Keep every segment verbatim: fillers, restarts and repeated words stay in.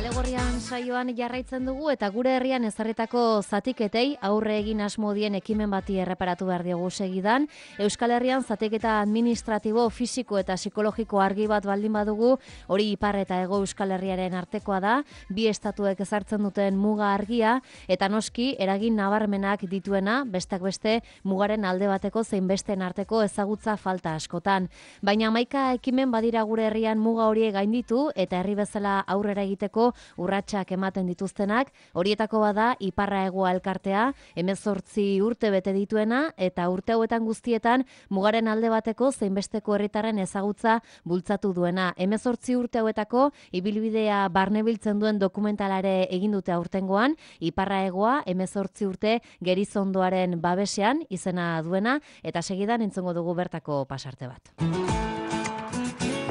Kalegorrian saioan jarraitzen dugu eta gure herrian ezarritako zatiketei aurre egin asmodien ekimen bati erreparatu behar diogu segidan. Euskal Herrian zatiketa administratibo, fisiko eta psikologiko argi bat baldin badugu, hori ipar eta hego Euskal Herriaren artekoa da, bi estatuek ezartzen duten muga argia eta noski eragin nabarmenak dituena, besteak beste mugaren alde bateko zein besteen arteko ezagutza falta askotan. Baina hamaika ekimen badira gure herrian muga horiek gainditu eta herri bezala aurrera egiteko urratsak ematen dituztenak, horietako bada Iparra Hegoa elkartea, hemezortzi urte bete dituena eta urte hauetan guztietan mugaren alde bateko zein besteko herritarren ezagutza bultzatu duena. hemezortzi urte hauetako ibilbidea barnebiltzen duen dokumentalare egin dute aurtengoan, Iparra Hegoa hemezortzi urte Gerizondoaren babesean izena duena eta segidan entzungo dugu bertako pasarte bat.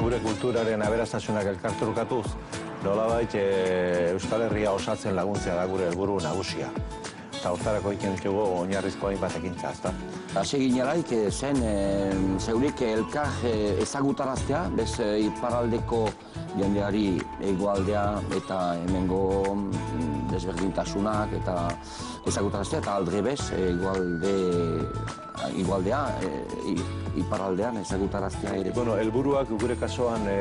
Gure kulturaren aberastasunak elkarturkatuz, nolabait e, Euskal Herria osatzen laguntzea da gure helburu nagusia. Eta hortarako iken ditugu oinarrizko hainbat ekintza, ezta? Hase ginelaik zen e, zeurik elkar e, ezagutaraztea, bez e, iparraldeko jendeari hegoaldea eta hemengo desberdintasunak eta ezagutaraztea eta aldrebez hegoalde igualdea e, iparraldean ezagutaraztea ere. Bueno, helburuak gure kasuan e,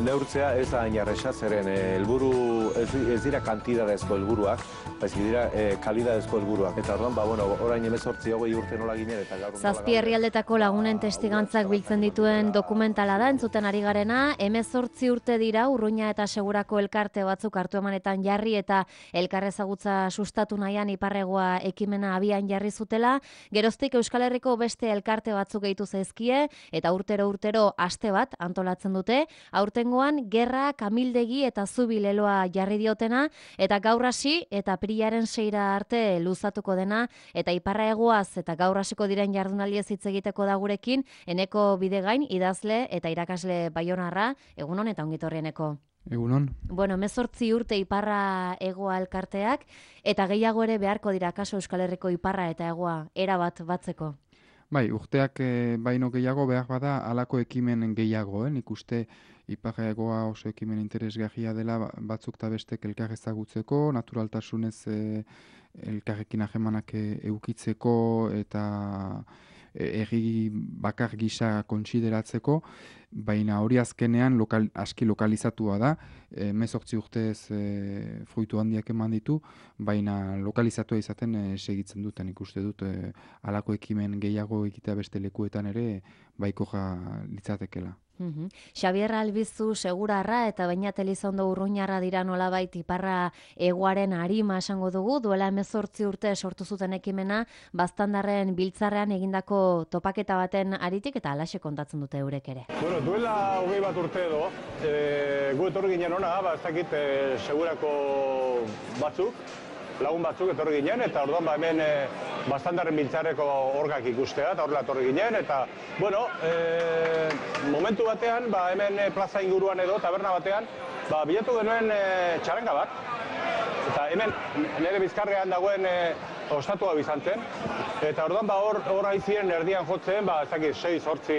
neurtzea ez da hain erresa, zeren helburu ez, ez dira kantidadezko helburuak, baizik dira e, kalidadezko helburuak. Eta orduan, ba, bueno, orain hemezortzi hogei urte nola ginen eta gaur nola... Zazpi herrialdetako lagunen testigantzak biltzen dituen dokumentala da, entzuten ari garena, hemezortzi urte dira Urruña eta Segurako elkarte batzuk hartu emanetan jarri eta elkar ezagutza sustatu nahian Ipar Hegoa ekimena abian jarri zutela, geroztik Euskal Herriko beste elkarte batzuk gehitu zaizkie eta urtero urtero aste bat antolatzen dute, aurtengoan gerra, kamildegi eta zubi leloa jarri diotena eta gaur hasi eta apirilaren seira arte luzatuko dena eta Iparra Hegoaz eta gaur hasiko diren jardunaldiez hitz egiteko da gurekin Eneko Bidegain idazle eta irakasle baionarra, egunon eta ongitorri Eneko. Egunon. Bueno, hemezortzi urte Iparra Hegoa elkarteak eta gehiago ere beharko dira kaso Euskal Herriko Iparra eta Hegoa era bat batzeko. Bai, urteak e, baino gehiago behar bada halako ekimen gehiago, eh? Nik uste Iparra Hegoa oso ekimen interesgarria dela batzuk eta bestek elkar ezagutzeko, naturaltasunez e, elkarrekin ahemanak e, eukitzeko eta herri bakar gisa kontsideratzeko, baina hori azkenean lokal, aski lokalizatua da, hemezortzi urtez e, fruitu handiak eman ditu, baina lokalizatua izaten e, segitzen duten ikuste dut e, halako ekimen gehiago egitea beste lekuetan ere baikoja litzatekela. Uhum. Xabier Albizu Segurarra eta Beñat Elizondo Urruñarra dira nolabait Iparra Hegoaren arima esango dugu, duela hemezortzi urte sortu zuten ekimena, baztandarren biltzarrean egindako topaketa baten aritik eta halaxe kontatzen dute eurek ere. Bueno, duela hogei bat urte edo, e, gu etorri ginen ona, ba, ez dakit e, Segurako batzuk, lagun batzuk etorri ginen, eta orduan ba, hemen e, baztandarren biltzarreko orgak ikustea, eta horrela etorri ginen, eta, bueno, e, momentu batean, ba, hemen e, plaza inguruan edo, taberna batean, ba, bilatu genuen e, txaranga bat, eta hemen nire bizkarrean dagoen e, ostatua bizan zen, eta orduan ba, hor, hor aizien erdian jotzen, ba, ez dakit, sei zortzi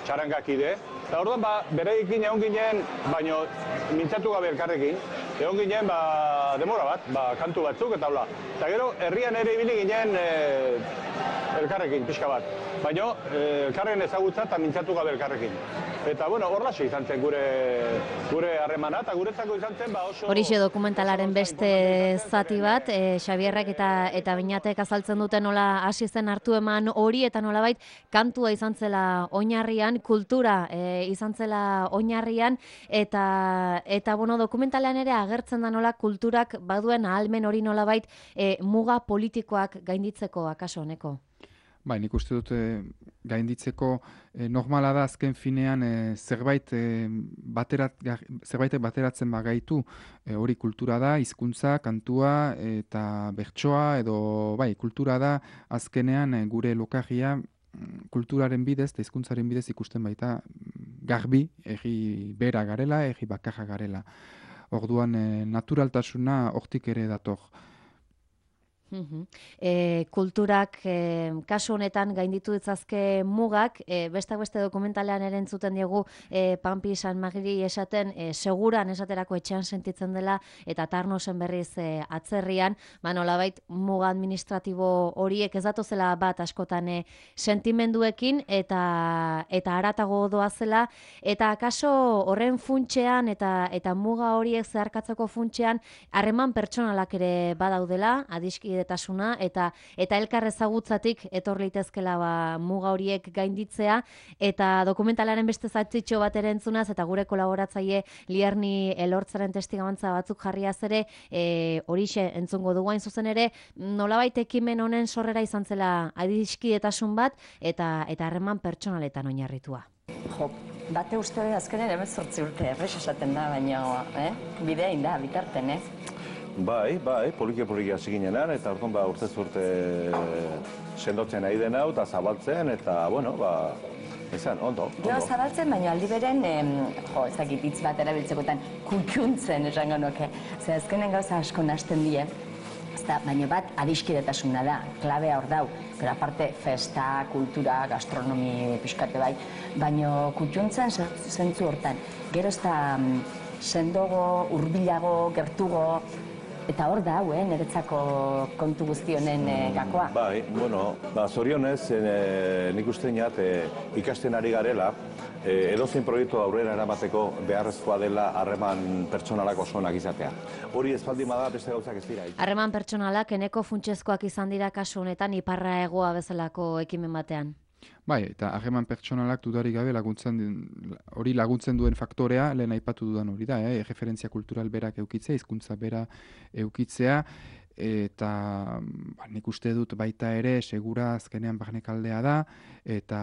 txarangak ide, eta orduan ba, bereikin egon ginen, baino mintzatu gabe elkarrekin, egon ginen ba, demora bat, ba, kantu batzuk eta hola. Eta gero, herrian ere ibili ginen e, elkarrekin, pixka bat. Baina elkarren ezagutza eta mintzatu gabe elkarrekin. Eta, bueno, horlaxe izan zen gure gure harremana, eta guretzako izan zen, ba, oso... Horixe dokumentalaren beste zati bat, e, Xabierrek eta eta Beñatek azaltzen duten nola hasi zen hartu eman hori, eta nolabait kantua izan zela oinarrian, kultura e, izan zela oinarrian, eta, eta bueno, dokumentalean ere agertzen da nola kulturak baduen ahalmen hori nolabait e, muga politikoak gainditzeko akaso honeko. Bai, nik uste dut e, gainditzeko e, normala da azken finean e, zerbait e, baterat, zerbaitek bateratzen bagaitu e, hori kultura da, hizkuntza, kantua eta bertsoa edo bai, kultura da azkenean e, gure lokarria kulturaren bidez eta hizkuntzaren bidez ikusten baita garbi, herri bera garela, herri bakarra garela. Orduan e, naturaltasuna hortik ere dator. E, kulturak e, kasu honetan gainditu ditzazke mugak, e, bestak beste dokumentalean ere entzuten diegu e, Pampi San Magiri esaten, e, seguran esaterako etxean sentitzen dela eta Tarnosen berriz e, atzerrian, ba nolabait muga administratibo horiek ez datozela bat askotan e, sentimenduekin eta eta haratago doazela, eta akaso horren funtsean eta eta muga horiek zeharkatzeko funtsean harreman pertsonalak ere badaudela, adiskidetasuna eta eta elkar ezagutzatik etor litezkela ba, muga horiek gainditzea, eta dokumentalaren beste zatzitxo bat ere entzunaz eta gure kolaboratzaile Lierni Elortzaren testigantza batzuk jarriaz ere e, horixe entzungo dugu hain zuzen ere, nolabait ekimen honen sorrera izan zela adiskidetasun bat eta eta harreman pertsonaletan oinarritua. Jo, bate uste azkenen hemezortzi urte errex esaten da, baina eh? bidea inda, bitarten, eh? Bai, bai, poliki-poliki hasi ginenan, eta orduan ba, urtez urte sendotzen nahi den hau, eta zabaltzen, eta, bueno, ba, izan, ondo, ondo. Jo, zabaltzen, baina aldi beren, em, jo, ez dakit hitz bat erabiltzekotan, kutxuntzen esango nuke. Ze azkenen gauza asko nahasten die, ezta, baina bat adiskidetasuna da, klabea hor dau. Gero aparte, festa, kultura, gastronomi pixkate bai, baina kutxuntzen zentzu hortan. Gero ez da sendogo, hurbilago, gertugo, eta hor da hau, eh, niretzako kontu guzti honen eh, gakoa. Bai, bueno, ba, zorionez, eh, nik uste inat, eh, ikasten ari garela, eh, edozein proiektu aurrera eramateko beharrezkoa dela harreman pertsonalak oso onak izatea. Hori ez baldin bada beste gauzak ez dira. Harreman pertsonalak eneko funtsezkoak izan dira kasu honetan iparra hegoa bezalako ekimen batean. Bai, eta harreman pertsonalak dudarik gabe laguntzen hori laguntzen duen faktorea, lehen aipatu dudan hori da, eh? referentzia kultural berak eukitzea, hizkuntza bera eukitzea, eta ba, nik uste dut baita ere segura azkenean barnekaldea da, eta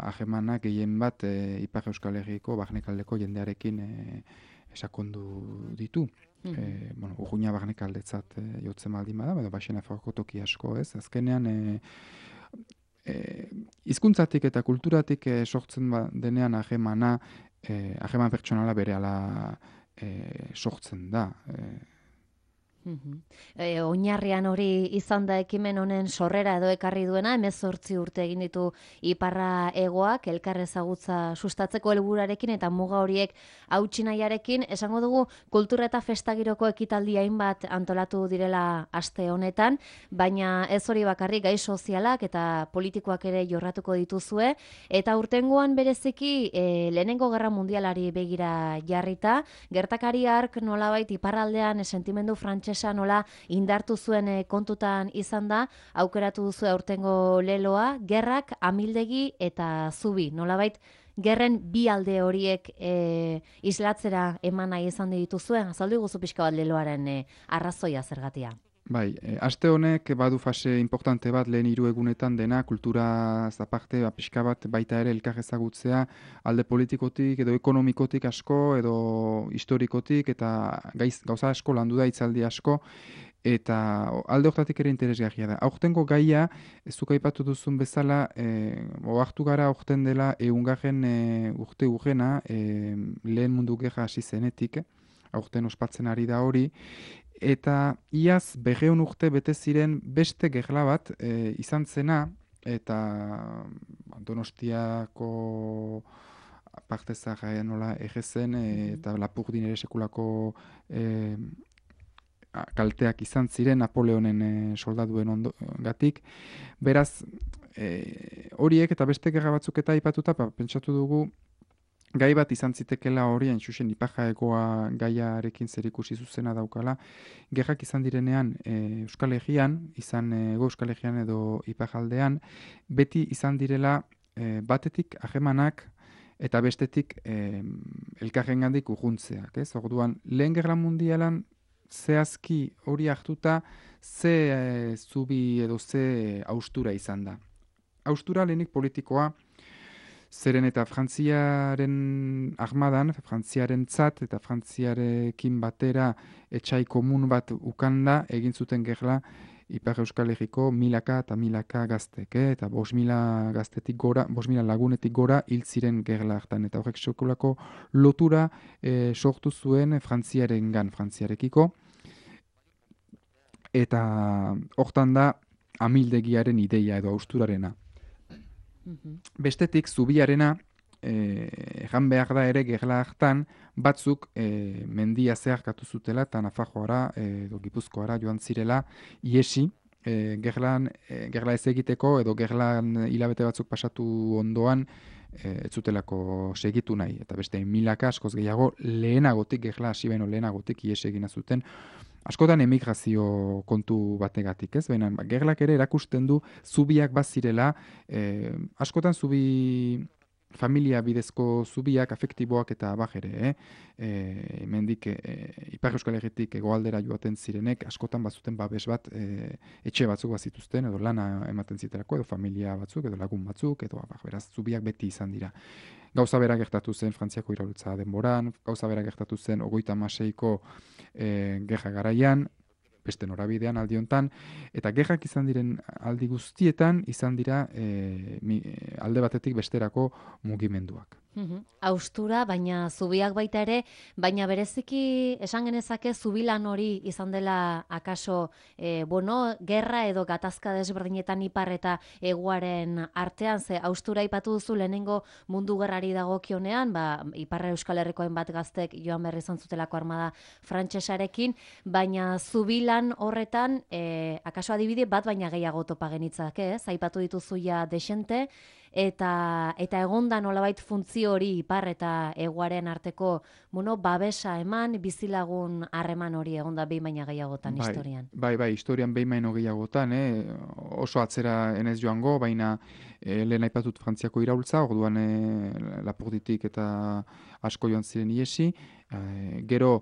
harremanak gehien bat e, Ipar Euskal Herriko barnekaldeko jendearekin e, esakondu ditu. Mm -hmm. e, bueno, urruina barnekaldetzat e, jotzen baldin bada, edo baxena forko toki asko ez, azkenean e, hizkuntzatik e, eta kulturatik e, sortzen ba, denean harremana, e, harreman pertsonala berehala e, sortzen da. E, E, oinarrian hori izan da ekimen honen sorrera edo ekarri duena, hemezortzi urte egin ditu Iparra Hegoak elkar ezagutza sustatzeko helburuarekin eta muga horiek hautsi nahiarekin. Esango dugu kultura eta festagiroko ekitaldi hainbat antolatu direla aste honetan, baina ez hori bakarrik, gai sozialak eta politikoak ere jorratuko dituzue, eta urtengoan bereziki e, lehenengo gerra mundialari begira jarrita, gertakari hark nolabait iparraldean sentimendu frantses nola indartu zuen kontutan izan da, aukeratu duzu aurtengo leloa, gerrak, amildegi eta zubi. Nolabait, gerren bi alde horiek e, islatzera eman nahi izan dituzuen, azaldu guzu pixka bat leloaren e, arrazoia zergatia. Bai, e, aste honek badu fase importante bat lehen hiru egunetan dena, kultura zaparte, ba, pixka bat baita ere elkar ezagutzea, alde politikotik edo ekonomikotik asko, edo historikotik, eta gaiz, gauza asko landu da itzaldi asko, eta alde hortatik ere interesgarria da. Aurtengo gaia, ez zuk aipatu duzun bezala, e, ohartu gara aurten dela ehungarren e, urte urrena, e, lehen mundu gerra hasi zenetik, aurten ospatzen ari da hori, eta iaz berrehun urte bete ziren beste gerla bat e, izan zena, eta Donostiako parte zaharra nola egezen, e, eta Lapurdin ere sekulako e, kalteak izan ziren Napoleonen e, soldaduen ondogatik. Beraz, e, horiek eta beste gerra batzuk eta aipatuta, pa, pentsatu dugu, gai bat izan zitekela hori, hain zuzen Iparra Hegoa gaiarekin zerikusi zuzena daukala. Gerrak izan direnean e, Euskal Herrian, izan Hego Euskal Herrian edo Iparraldean, beti izan direla e, batetik harremanak eta bestetik e, elkarrengandik urruntzeak. Ez? Orduan, lehen gerra mundialan zehazki hori hartuta ze e, zubi edo ze haustura izan da. Haustura lehenik politikoa, zeren eta Frantziaren armadan, Frantziaren tzat eta Frantziarekin batera etxai komun bat ukanda egin zuten gerla Ipar Euskal Herriko milaka eta milaka gaztek, eh? eta bost mila gaztetik gora, bost mila lagunetik gora hil ziren gerla hartan, eta horrek sekulako lotura eh, sortu zuen Frantziarengan, Frantziarekiko. eta hortan da amildegiaren ideia edo austurarena. Bestetik, zubiarena, egan behar da ere gerla hartan, batzuk e, mendia zeharkatu zutela eta Nafarroara edo Gipuzkoara joan zirela iesi, e, gerlan, e, gerla ez egiteko edo gerlan hilabete batzuk pasatu ondoan e, ez zutelako segitu nahi. Eta beste milaka askoz gehiago lehenagotik, gerla hasi baino lehenagotik iesi egina zuten. Askotan emigrazio kontu bategatik, ez? Baina gerlak ere erakusten du zubiak bazirela, e, askotan zubi familia bidezko zubiak, afektiboak eta bajere, eh? E, mendik e, Ipar Euskal Herritik hegoaldera joaten zirenek, askotan bazuten babes bat e, etxe batzuk bazituzten, edo lana ematen ziterako, edo familia batzuk, edo lagun batzuk, edo bah, beraz, zubiak beti izan dira. Gauza bera gertatu zen Frantziako iraultza denboran, gauza bera gertatu zen hogeita hamaseiko e, gerra garaian, beste norabidean aldi hontan, eta gerrak izan diren aldi guztietan izan dira e, mi, alde batetik besterako mugimenduak. Uhum. Austura, baina zubiak baita ere, baina bereziki esan genezake zubilan hori izan dela akaso, e, bueno, gerra edo gatazka desberdinetan ipar eta hegoaren artean, ze austura ipatu duzu lehenengo mundu gerrari dagokionean, ba, Ipar Euskal Herrikoen bat gaztek joan berri izan zutelako armada frantsesarekin, baina zubilan horretan, e, akaso adibide bat baina gehiago topa genitzak, ez? Aipatu dituzu ja desente, eta eta egonda nolabait funtzio hori ipar eta hegoaren arteko, bueno, babesa eman, bizilagun harreman hori egonda behin baina gehiagotan bai, historian. Bai, bai, historian behin baino gehiagotan, eh? Oso atzera enez joango, baina eh, lehen aipatut Frantziako iraultza, orduan eh, Lapurditik eta asko joan ziren iesi, eh, gero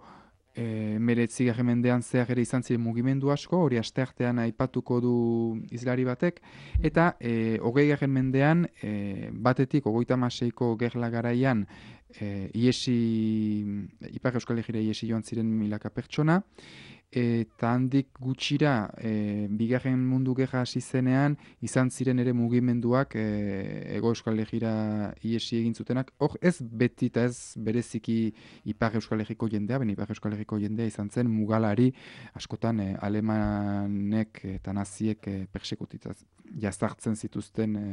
E, meretzi mendean zehar ere izan ziren mugimendu asko, hori asteartean aipatuko du izlari batek, eta e, hogei garren mendean, e, batetik, hogeita hamaseiko gerla garaian, e, iesi, Ipar Euskal Herrira iesi joan ziren milaka pertsona, eta handik gutxira, e, bigarren mundu gerra hasi zenean, izan ziren ere mugimenduak e, Hego Euskal Herrira iesi egin zutenak. Hor ez beti eta ez bereziki Ipar Euskal Herriko jendea, ben Ipar Euskal Herriko jendea izan zen mugalari askotan e, alemanek eta naziek e, persekutitaz jazartzen zituzten e,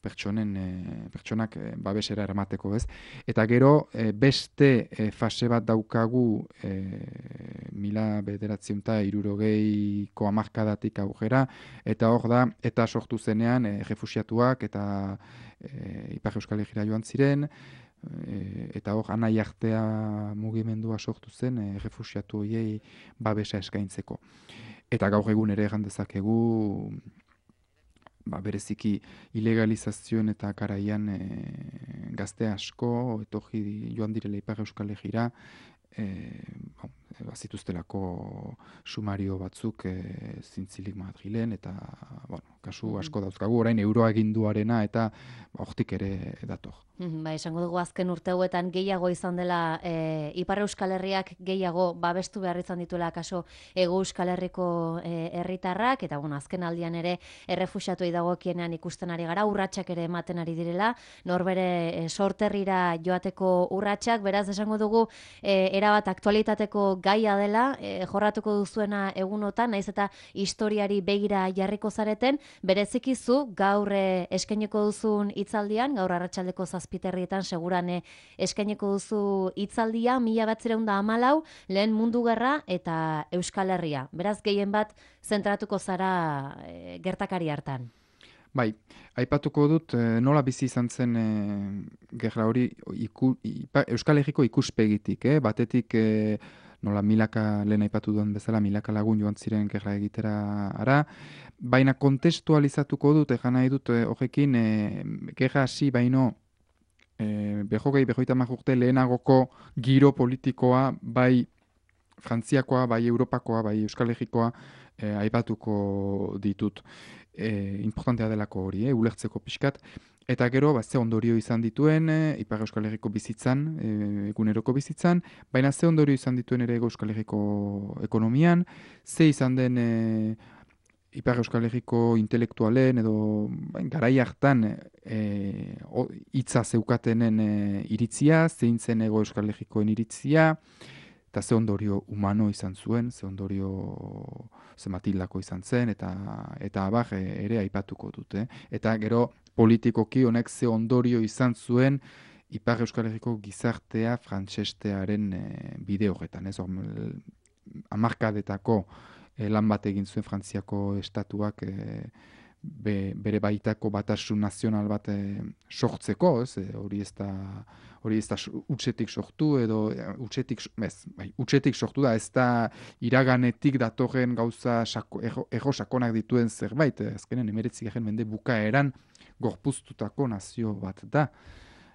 pertsonen, e, pertsonak e, babesera eramateko, ez? Eta gero e, beste e, fase bat daukagu e, mila bederatziehun eta hirurogeiko hamarkadatik aurrera, eta hor da, eta sortu zenean e, refuxiatuak eta e, Ipar Euskal Herrira joan ziren, e, eta hor anai artea mugimendua sortu zen e, refuxiatu horiei babesa eskaintzeko. Eta gaur egun ere egan dezakegu, ba, bereziki ilegalizazioen eta garaian e, gazte asko, etorri joan direla Ipar Euskal Herrira, e, bon, bazituztelako sumario batzuk e, zintzilik Madrilen, eta bueno, kasu asko dauzkagu, orain euroa eginduarena eta hortik ere dator. Ba, esango dugu azken urte hauetan gehiago izan dela e, Ipar Euskal Herriak gehiago babestu behar izan dituela kaso Hego Euskal Herriko e, herritarrak, eta bueno, azken aldian ere errefuxiatuei dagokienean ikusten ari gara, urratsak ere ematen ari direla, norbere e, sorterrira joateko urratsak, beraz esango dugu e, erabat aktualitateko gaia dela, e, jorratuko duzuena egunotan, naiz eta historiari begira jarriko zareten, berezikizu gaur e, eskaineko duzun hitzaldian, gaur arratsaldeko zazpiterrietan segurane eskaineko duzu hitzaldia, mila batzireun da hamalau, lehen mundu gerra eta Euskal Herria. Beraz, gehien bat zentratuko zara e, gertakari hartan. Bai, aipatuko dut e, nola bizi izan zen e, gerra hori iku, ipa, Euskal Herriko ikuspegitik, eh? Batetik e, nola milaka, lehen aipatu duen bezala, milaka lagun joan ziren gerra egitera ara, baina kontestualizatuko dut, egan nahi dut e, horrekin, e, gerra hasi baino e, behogei, behoita urte lehenagoko giro politikoa, bai Frantziakoa, bai Europakoa, bai Euskal Herrikoa e, aipatuko ditut. E, importantea delako hori, eh, ulertzeko pixkat, eta gero ba, ze ondorio izan dituen e, Ipar Euskal Herriko bizitzan, e, eguneroko bizitzan, baina ze ondorio izan dituen ere Euskal Herriko ekonomian, ze izan den e, Ipar Euskal Herriko intelektualen edo bain, garai hartan e, hitza zeukatenen e, iritzia, zein zen Hego Euskal Herrikoen iritzia, eta ze ondorio humano izan zuen, ze ondorio zematildako izan zen, eta eta abar ere aipatuko dute. Eta gero politikoki honek ze ondorio izan zuen Ipar Euskal Herriko gizartea frantsestearen e, bide horretan. Ez hamarkadetako e, lan bat egin zuen Frantziako estatuak e, be, bere baitako batasun nazional bat e, sortzeko, ez, e, hori ez da hori ez da utxetik sortu edo utxetik, ez, bai, utxetik sortu da, ez da iraganetik datorren gauza sako, ego, ego sakonak dituen zerbait, azkenen emeretzigarren mende bukaeran gorpuztutako nazio bat da,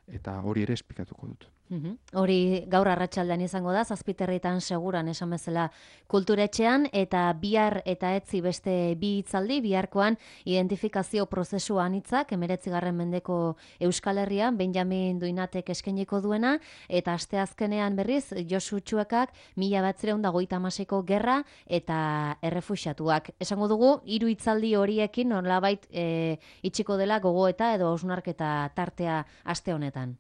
eta hori ere esplikatuko dut. Uhum. Hori gaur arratsaldean izango da, zazpiterritan seguran esan bezala kulturetxean, eta bihar eta etzi beste bi hitzaldi, biharkoan identifikazio prozesu anitzak, emeretzigarren mendeko Euskal Herrian, Benjamin Duinatek eskainiko duena, eta asteazkenean berriz, Josu Txuekak, mila batzireun da hogeita hamaseiko gerra eta errefuxiatuak. Esango dugu, hiru hitzaldi horiekin nolabait e, itxiko dela gogoeta edo hausnarketa tartea aste honetan.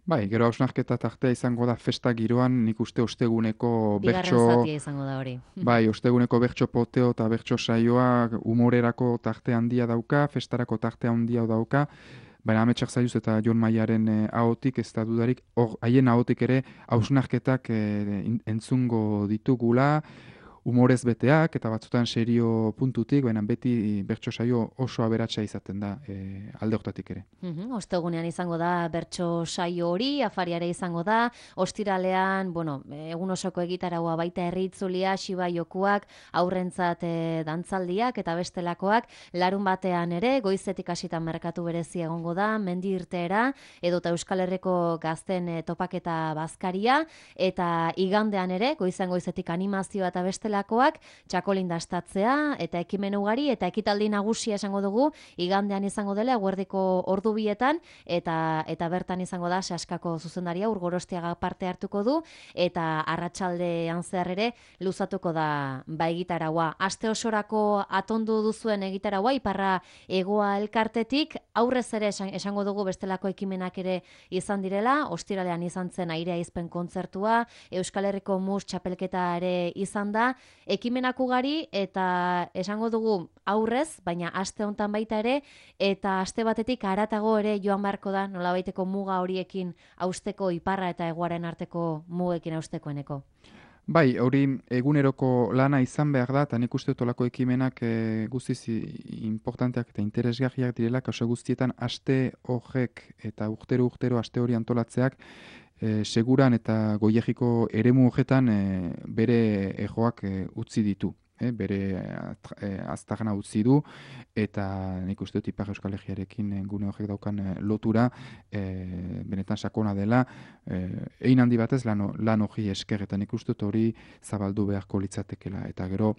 Bai, gero hausnarketa tartea izango da festa giroan, nik uste osteguneko bertso... Bigarren zatia izango da hori. Bai, osteguneko bertso poteo eta bertso saioa humorerako tarte handia dauka, festarako tarte handia dauka, baina Ametsak Zailuz eta Jon Maiaren eh, ahotik, ez da dudarik, hor, haien ahotik ere hausnarketak eh, entzungo ditugula, humorez beteak eta batzutan serio puntutik, baina beti bertso saio oso aberatsa izaten da e, alde hortatik ere. Uhum, ostegunean izango da bertso saio hori, afariare izango da, ostiralean, bueno, egun osoko egitaragoa baita herri itzulia, xiba jokuak, aurrentzat e, dantzaldiak eta bestelakoak, larun batean ere, goizetik hasitan merkatu berezi egongo da, mendi irteera, edota Euskal Herriko gazten e, topaketa bazkaria, eta igandean ere, goizan goizetik animazioa eta bestelakoak, txakolin dastatzea eta ekimen ugari eta ekitaldi nagusia esango dugu igandean izango dela eguerdiko ordu bietan eta eta bertan izango da Saskako zuzendaria Urgorostiaga parte hartuko du eta arratsaldean zehar ere luzatuko da ba egitaraua. Aste osorako atondu duzuen egitaraua Iparra Hegoa elkartetik aurrez ere esango dugu bestelako ekimenak ere izan direla, ostiralean izan zen airea izpen kontzertua, Euskal Herriko mus txapelketa ere izan da, ekimenak ugari eta esango dugu aurrez, baina aste hontan baita ere, eta aste batetik haratago ere joan beharko da, nolabaiteko muga horiekin hausteko Iparra eta Hegoaren arteko mugekin haustekoeneko. Bai, hori eguneroko lana izan behar da, eta nik uste tolako ekimenak e, guztiz importanteak eta interesgarriak direla, kaso guztietan aste horrek eta urtero-urtero aste hori antolatzeak, E, seguran eta goiegiko eremu horretan e, bere ejoak e, utzi ditu, e, bere e, aztarna utzi du, eta nik uste dut Ipar Euskal Herriarekin gune horrek daukan e, lotura e, benetan sakona dela, e, egin handi batez lan, lan hori esker, eta nik uste dut hori zabaldu beharko litzatekela, eta gero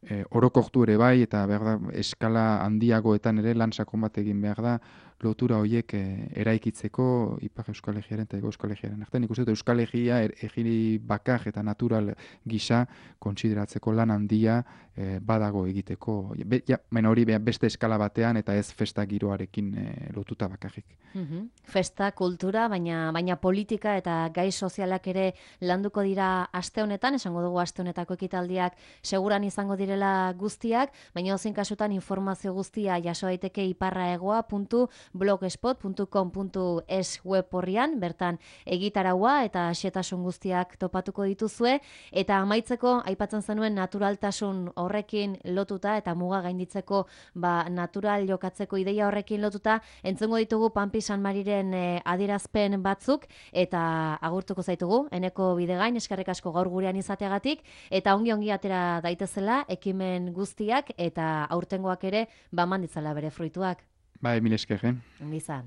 e, orokortu ere bai, eta behar da, eskala handiagoetan ere lan sakon bat egin behar da, lotura horiek e, eraikitzeko Ipar Euskal Herriaren eta Hego Euskal Herriaren artean. Nik uste dut Euskal Herria er, egiri bakar eta natural gisa kontsideratzeko lan handia e, badago egiteko. Be, ja, baina hori beste eskala batean eta ez festa giroarekin e, lotuta bakarrik. Mm-hmm. Festa, kultura, baina baina politika eta gai sozialak ere landuko dira aste honetan, esango dugu aste honetako ekitaldiak seguran izango direla guztiak, baina ozein kasutan informazio guztia jaso daiteke iparraegoa puntu blogspot puntu com puntu es web horrian, bertan egitaraua eta xetasun guztiak topatuko dituzue, eta amaitzeko aipatzen zenuen naturaltasun horrekin lotuta eta muga gainditzeko ba, natural jokatzeko ideia horrekin lotuta, entzungo ditugu Pampi San Mariren eh, adierazpen batzuk, eta agurtuko zaitugu, eneko bidegain, eskerrik asko gaur gurean izateagatik, eta ongi-ongi atera daitezela ekimen guztiak, eta aurtengoak ere baman ditzala bere fruituak. Bai, mil esker, eh? Ongi izan.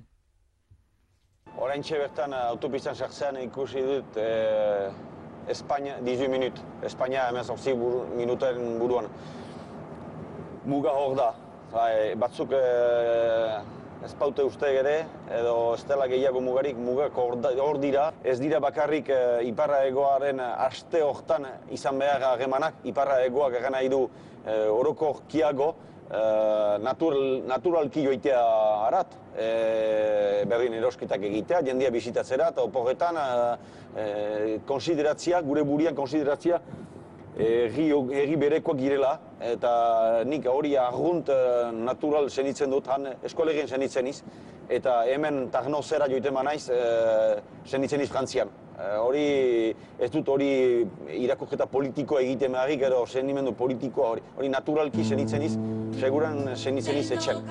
Oraintxe bertan autopistan sartzean ikusi dut eh, Espainia, dizuit minut, Espainia hemezortzi buru, minuten buruan. Muga hor da, bai, batzuk eh, ez paute uste ere, edo ez dela gehiago mugarik, mugak hor dira. Ez dira bakarrik eh, Iparra Hegoaren aste hortan izan behar harremanak, Iparra Hegoak egan nahi du eh, orokorkiago, natural, naturalki joitea harat, e, berdin erosketak egitea, jendia bisitatzera, eta oporretan e, konsideratzia, gure burian konsideratzia, erri berekoak girela, eta nik hori argunt natural zenitzen dut, han eskolegien zenitzen iz, eta hemen tarno zera joiten manaiz zenitzen iz Frantzian. Hori, ez dut hori irakurketa politikoa egiten beharrik, edo zenimendu politikoa hori, hori naturalki zenitzen iz, seguran zenitzen iz etxen.